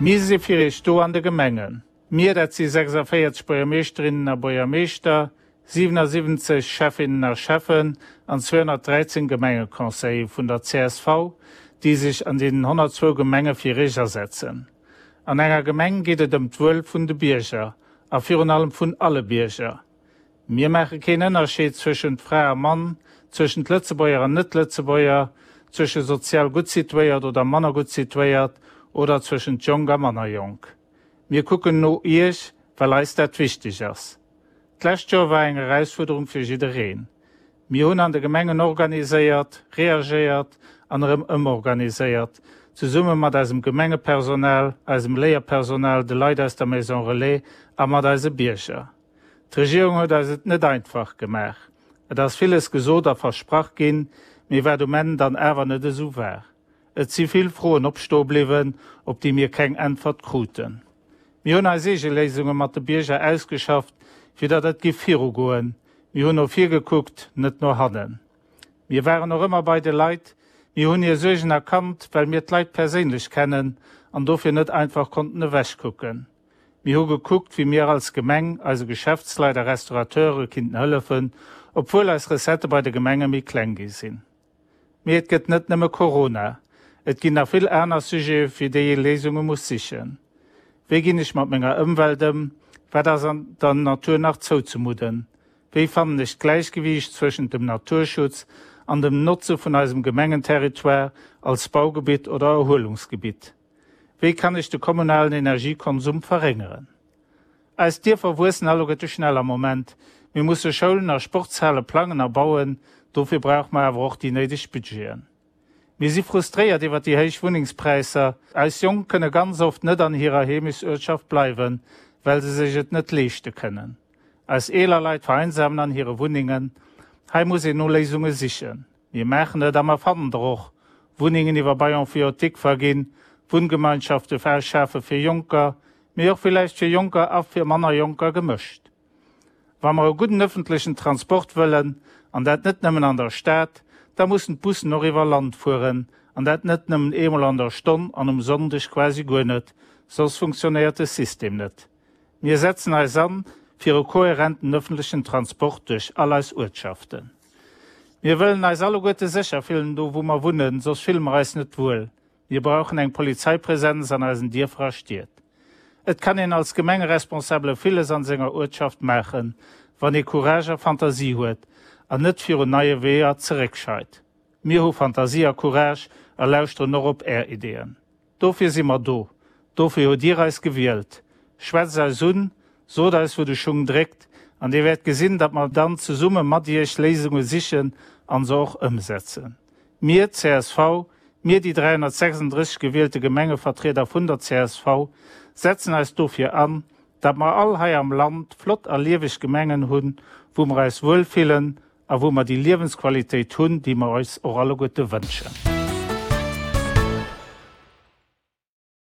Mir si fir Iech do an de Gemengen. Mir, dat si 46 Buergermeeschterinnen a Buergermeeschter, 77 Schäffinnen a Schäffen an 213 Gemengeconseiller vun der csv, déi sech an deenen 102 Gemenge fir Iech asetzen. An enger Gemeng geet et ëm d'Wuel vun de Bierger a virun allem vun alle Bierger. Mir maache keen Ënnerscheed zwëschent Fra a Mann, zwëschent Lëtzebuerger an Net-Lëtzebuerger, zwësche sozial gutt situéiert oder manner gutt situéiert oder zwëschent jonk a manner jonk. Mir kucken no Iech, well eis dat wichteg ass. D'lescht Joer war eng Erausfuerderung fir jiddereen. Mir hunn an de Gemengen organiséiert, reagéiert an erëm ëmorganiséiert, zesumme mat eisem Gemengepersonal, eisem Léierpersonal, de Leit aus der Maison Relais a mat eise Bierger. D'Regierung huet eis et net einfach gemaach. Et ass villes gesot a versprach ginn, mee wat um Enn dann awer net esou war. Et si vill Froen opstoe bliwwen, op déi mir keng Äntwert kruten. Mir hunn eis eege Léisunge mat de Bierger ausgeschafft, fir datt et giff virugoen. Mir hunn no vir gekuckt, net no hannen. Mir waren och ëmmer bei de Leit. Mir hunn hir Suergen erkannt, well mir d'Leit perséinlech kennen an dofir net einfach konnten ewechkucken. Mir hu gekuckt, wéi mir als Gemeng eise Geschäftsleit a Restaurateure kinnten hëllefen, obwuel eis Recettë bei de Gemenge méi kleng gi sinn. Mee et gëtt net nëmme Corona, et ginn nach vill aner Sujete fir déi ee Léisunge muss sichen. Wéi ginn ech mat menger Ëmwelt ëm? Wat ass an der Natur nach zouzemudden? Wéi fannen ech d'Gläichgewiicht zwëschent dem Naturschutz an dem Notze vun eisem Gemengenterritoire als Baugebitt oder Erhuelungsgebitt? Wéi kann ech de kommunalen Energiekonsum verréngeren? Eis Dierfer wuessen alleguerte schnell am Moment. Mir musse Schoulen a Sportshale plangen a bauen. Dofir brauche mer awer och déi néideg Budgeten. Mir si frustréiert iwwer déi héich Wunnengspräisser. Eis Jonk kënne ganz oft net an hirer Heemechtsuertschaft bleiwen, well se sech et net leeschte kënnen. Eis eeler Leit vereinsamen an hire Wunnengen. Hei muss een no Léisunge sichen. Mir maachen et a mer fannen der och. Wunnengen iwwer Bail emphytéotique verginn, Wunngemeinschafte schafe fir Jonker, mee och villäicht fir Jonker a fir manner Jonker gemëscht. Wa mer e gudden ëffentlechen Transport wëllen, an dat net nëmmen an der Stad, da mussen d'Bussen och iwwer Land fueren, an dat net nëmmen eemol an der Stonn an um Sonndeg quasi guer net, soss funktionéiert de System net. Mir setzen eis an fir e kohärenten ëffentlechen Transport duerch all eis Uertschaften. Mir wëllen eis alleguerte sécher fillen do wou mer wunnen, soss fille mer eis net wuel. Mir brauchen eng Polizeipräsenz an eisen Dierfer a Stied. Et kann een als Gemengeresponsabele villes an senger Uertschaft maachen, wann ee Courage a Fantasie huet an net virun neie Weeër zeréckscheit. Mir hu Fantasie a Courage a lauschteren och op Är Ideeën. Dofir si mer do. Dofir hutt Dir eis gewielt. Schwätzt eis un, sot eis wou de Schung dréckt, an Dir wäert gesinn, datt mer dann zesumme mat Iech Léisunge sichen an se och ëmsetzen. Mir, csv, mir déi 336 gewielte Gemengevertrieder vun der csv, setzen eis dofir an, datt mer all hei am Land flott a lieweg Gemengen hunn, wou mer eis wuel fillen a wou mer déi Liewensqualitéit hunn, déi mer eis och alleguerte wënschen.